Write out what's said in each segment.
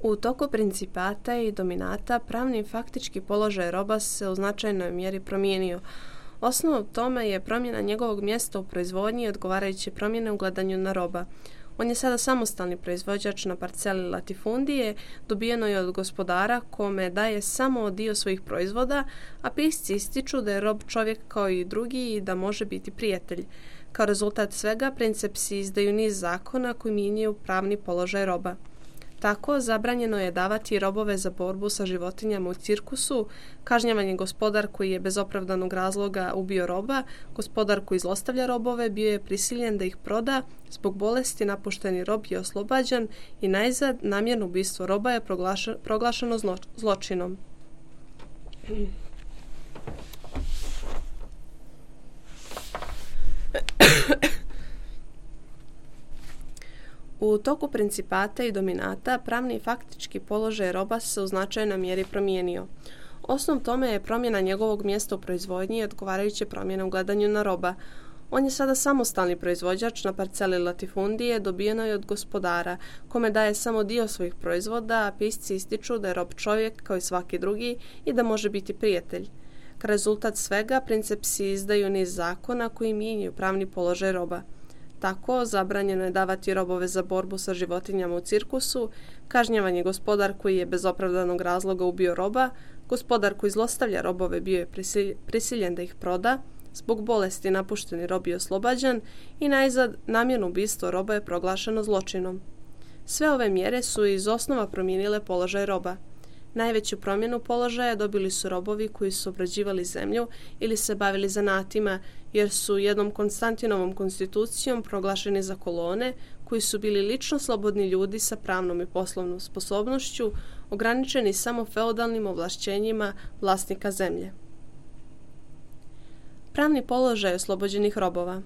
U toku principata i dominata pravni i faktički položaj roba se u značajnoj mjeri promijenio. Osnov tome je promjena njegovog mjesta u proizvodnji i odgovarajuće promjene u gledanju na roba. On je sada samostalni proizvođač na parceli latifundije, dobijeno je od gospodara kome daje samo dio svojih proizvoda, a pisci ističu da je rob čovjek kao i drugi i da može biti prijatelj. Kao rezultat svega, princepsi izdaju niz zakona koji mijenjaju pravni položaj roba. Tako, zabranjeno je davati robove za borbu sa životinjama u cirkusu, kažnjavan je gospodar koji je bez opravdanog razloga ubio roba, gospodar koji zlostavlja robove bio je prisiljen da ih proda, zbog bolesti napušteni rob je oslobađan i najzad namjerno ubistvo roba je proglašeno zločinom. U toku principata i dominata pravni i faktički položaj roba se u značajnoj mjeri promijenio. Osnov tome je promjena njegovog mjesta u proizvodnji i odgovarajuće promjene u gledanju na roba. On je sada samostalni proizvođač na parceli latifundije, dobijeno je od gospodara, kome daje samo dio svojih proizvoda, a pisci ističu da je rob čovjek kao i svaki drugi i da može biti prijatelj. Kao rezultat svega, princepsi izdaju niz zakona koji mijenjaju pravni položaj roba. Tako, zabranjeno je davati robove za borbu sa životinjama u cirkusu, kažnjavan je gospodar koji je bez opravdanog razloga ubio roba, gospodar koji zlostavlja robove bio je prisiljen da ih proda, zbog bolesti napušteni rob je oslobađan i najzad namjerno ubistvo roba je proglašeno zločinom. Sve ove mjere su iz osnova promijenile položaj roba. Najveću promjenu položaja dobili su robovi koji su obrađivali zemlju ili se bavili zanatima, jer su jednom Konstantinovom konstitucijom proglašeni za kolone, koji su bili lično slobodni ljudi sa pravnom i poslovnom sposobnošću, ograničeni samo feudalnim ovlašćenjima vlasnika zemlje. Pravni položaj oslobođenih robova.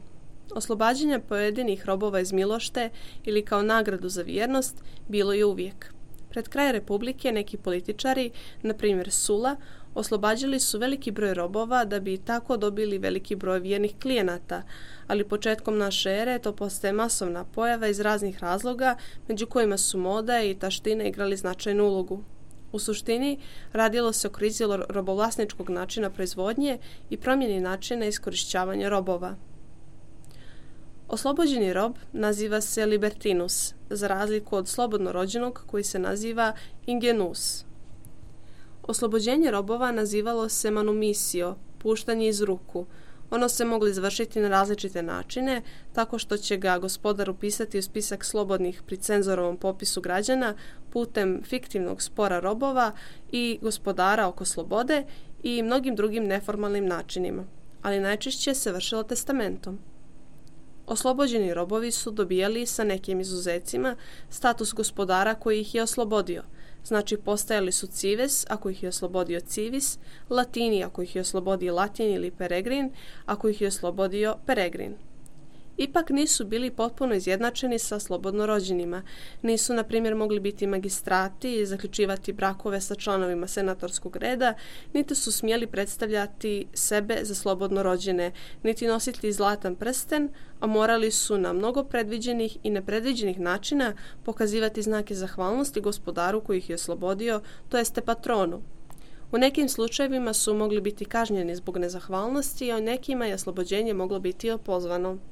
Oslobađanje pojedinih robova iz milošte ili kao nagradu za vjernost bilo je uvijek. Pred kraj Republike neki političari, na primjer Sula, oslobađali su veliki broj robova da bi tako dobili veliki broj vjernih klijenata, ali početkom naše ere to postaje masovna pojava iz raznih razloga, među kojima su moda i taština igrali značajnu ulogu. U suštini, radilo se o krizi robovlasničkog načina proizvodnje i promjeni načina iskorišćavanja robova. Oslobođeni rob naziva se libertinus, za razliku od slobodno rođenog koji se naziva ingenus. Oslobođenje robova nazivalo se manumisio, puštanje iz ruku. Ono se moglo izvršiti na različite načine, tako što će ga gospodar upisati u spisak slobodnih pri cenzorovom popisu građana putem fiktivnog spora robova i gospodara oko slobode i mnogim drugim neformalnim načinima, ali najčešće se vršilo testamentom. Oslobođeni robovi su dobijali, sa nekim izuzecima, status gospodara koji ih je oslobodio. Znači, postajali su cives, ako ih je oslobodio civis, latini, ako ih je oslobodio latin ili peregrin, ako ih je oslobodio peregrin. Ipak nisu bili potpuno izjednačeni sa slobodno rođenima. Nisu, na primjer, mogli biti magistrati i zaključivati brakove sa članovima senatorskog reda, niti su smjeli predstavljati sebe za slobodno rođene, niti nositi zlatan prsten, a morali su na mnogo predviđenih i nepredviđenih načina pokazivati znake zahvalnosti gospodaru koji ih je oslobodio, to jeste patronu. U nekim slučajevima su mogli biti kažnjeni zbog nezahvalnosti, a u nekima je oslobođenje moglo biti opozvano.